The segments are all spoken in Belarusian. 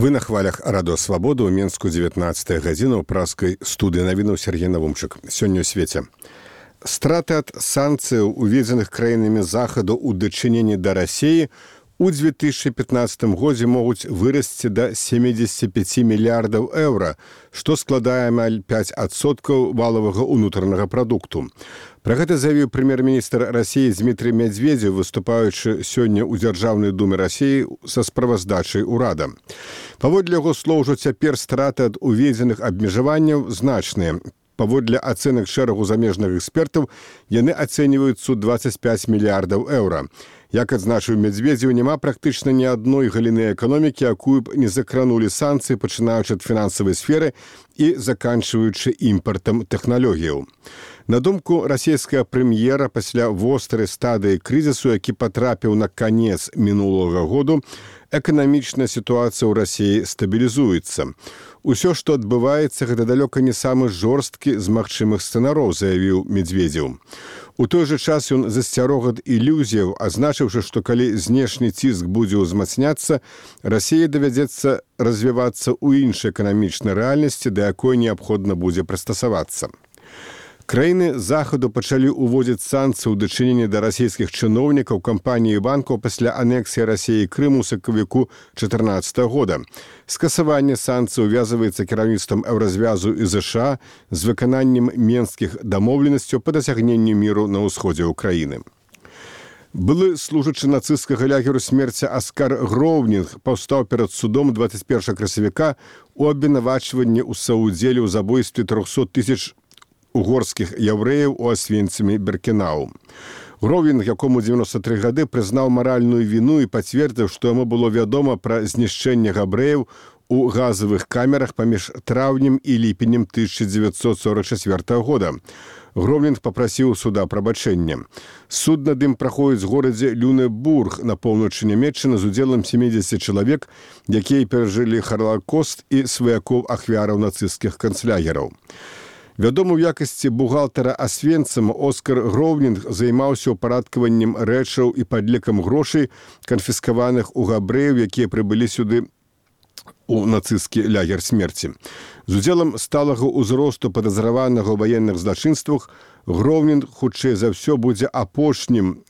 Вы на хвалях радыё Свабода ў Менску 19 гадзіна ў праскай студыі навінаў Сергей Навумчык. Сёння ў свеце. Страты ад санкцыяў, уведзеных краінамі захаду ў дачыненні да Расіі, у 2015 годзе могуць вырасці да 75 мільярдаў еўра, што складае амаль 5% валавага ўнутранага прадукту. Пра гэта заявіў прэм'ер-міністр Расіі Дмітрий Медведев, выступаючы сёння ў Дзяржаўнай думе Расіі са справаздачай урада. Паводле яго слоў, ужо цяпер страты ад уведзеных абмежаванняў значныя. Паводле ацэнак шэрагу замежных экспертаў, яны ацэньваюцца 25 мільярдаў еўра. Як адзначыў Медведзев, няма практычна ні адной галіны эканомікі, якую б не закранулі санкцыі, пачынаючы ад фінансавай сферы і заканчваючы імпартам тэхналогіяў. На думку расійскага прэм'ера, пасля вострай стадыі крызісу, які патрапіў на канец мінулага году, эканамічная сітуацыя ў Расіі стабілізуецца. Усё, што адбываецца, гэта далёка не самы жорсткі з магчымых сцэнароў, заявіў Медведзев. У той жа час ён засцярог ад ілюзіяў, азначыўшы, што калі знешні ціск будзе ўзмацняцца, Расіі давядзецца развівацца ў іншай эканамічнай рэальнасці, да якой неабходна будзе прыстасавацца. Краіны захаду пачалі ўводзіць санкцыі ў дачыненні да расійскіх чыноўнікаў, кампаній і банкаў пасля анексіі Расіі Крыму ў сакавіку 2014 года. Скасаванне санкцый увязываецца кіраўніцтвам Еўразвязу і ЗША з выкананнем менскіх дамоўленасцяў па дасягненню міру на ўсходзе ўкраіны. Былы служачы нацысцкага лагеру смерці Аскар Гроўнінг паўстаў перад судом 21 красавіка у абвінавачванні ў саўдзеле ў забойстве 300 000 угорскіх яўрэяў у Асвенцімі Біркенау. Гроўнінг, якому 93 гады, прызнаў маральную віну і пацвердзіў, што яму было вядома пра знішчэнне габрэяў у газавых камерах паміж траўнем і ліпенем 1944 года. Гроўнінг папрасіў суда прабачэння. Суд над ім праходзіць у горадзе Люнебург на поўначы Нямецчыны з удзелам 70 чалавек, якія перажылі Халакост і сваякоў ахвяраў нацысцкіх канцлягераў. Вядомы ў якасці бухгалтара Асвенцыма, Оскар Гроўнінг займаўся ўпарадкаваннем рэчаў і падлікам грошай, канфіскаваных у габрэяў, якія прыбылі сюды у нацысцкі лагер смерці. З удзелам сталага ўзросту падазраванага ў ваенных злачынствах, Гроўнінг, хутчэй за ўсё, будзе апошнім,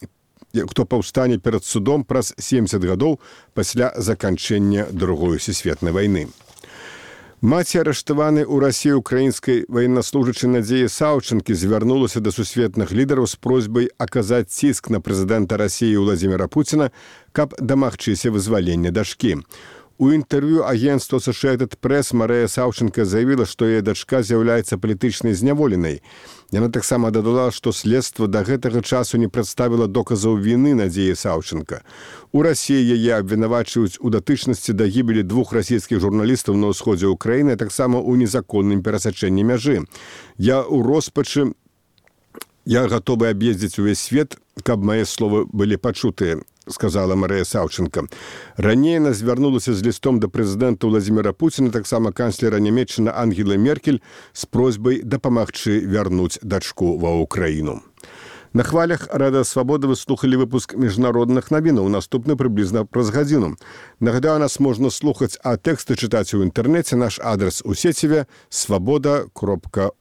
хто паўстане перад судом праз 70 гадоў пасля заканчэння Другой сусветнай вайны. Маці арыштаванай у Расіі украінскай ваеннаслужачай Надзеі Саўчанкі звярнулася да сусветных лідараў з просьбай аказаць ціск на прэзідэнта Расіі Владзіміра Пуціна, каб дамагчыся вызвалення дачкі. У інтэрв'ю агенцтва Associated Press Марыя Саўчанка заявіла, што яе дачка з'яўляецца палітычнай зняволенай. Яна таксама дадала, што следства да гэтага часу не прадставіла доказаў віны Надзеі Саўчанка. У Расіі яе абвінавачваюць у датычнасці да гібелі 2 расійскіх журналістаў на ўсходзе ўкраіны, а таксама ў незаконным перасячэнні мяжы. Я ў роспачы, я гатовы аб'ездзіць увесь свет, каб мае словы былі пачутыя, сказала Марыя Саўчанка. Раней яна звярнулася з лістом да прэзідэнта Владзіміра Пуціна, таксама канцлера Нямецчыны Ангелы Меркель, з просьбай дапамагчы вярнуць дачку ва ўкраіну. На хвалях радыё Свабода вы слухалі выпуск міжнародных навінаў, наступны прыблізна праз гадзіну. Нагадаю, нас можна слухаць, а тэксты чытаць у інтэрнэце. Наш адрес у сеціве свабода.орг.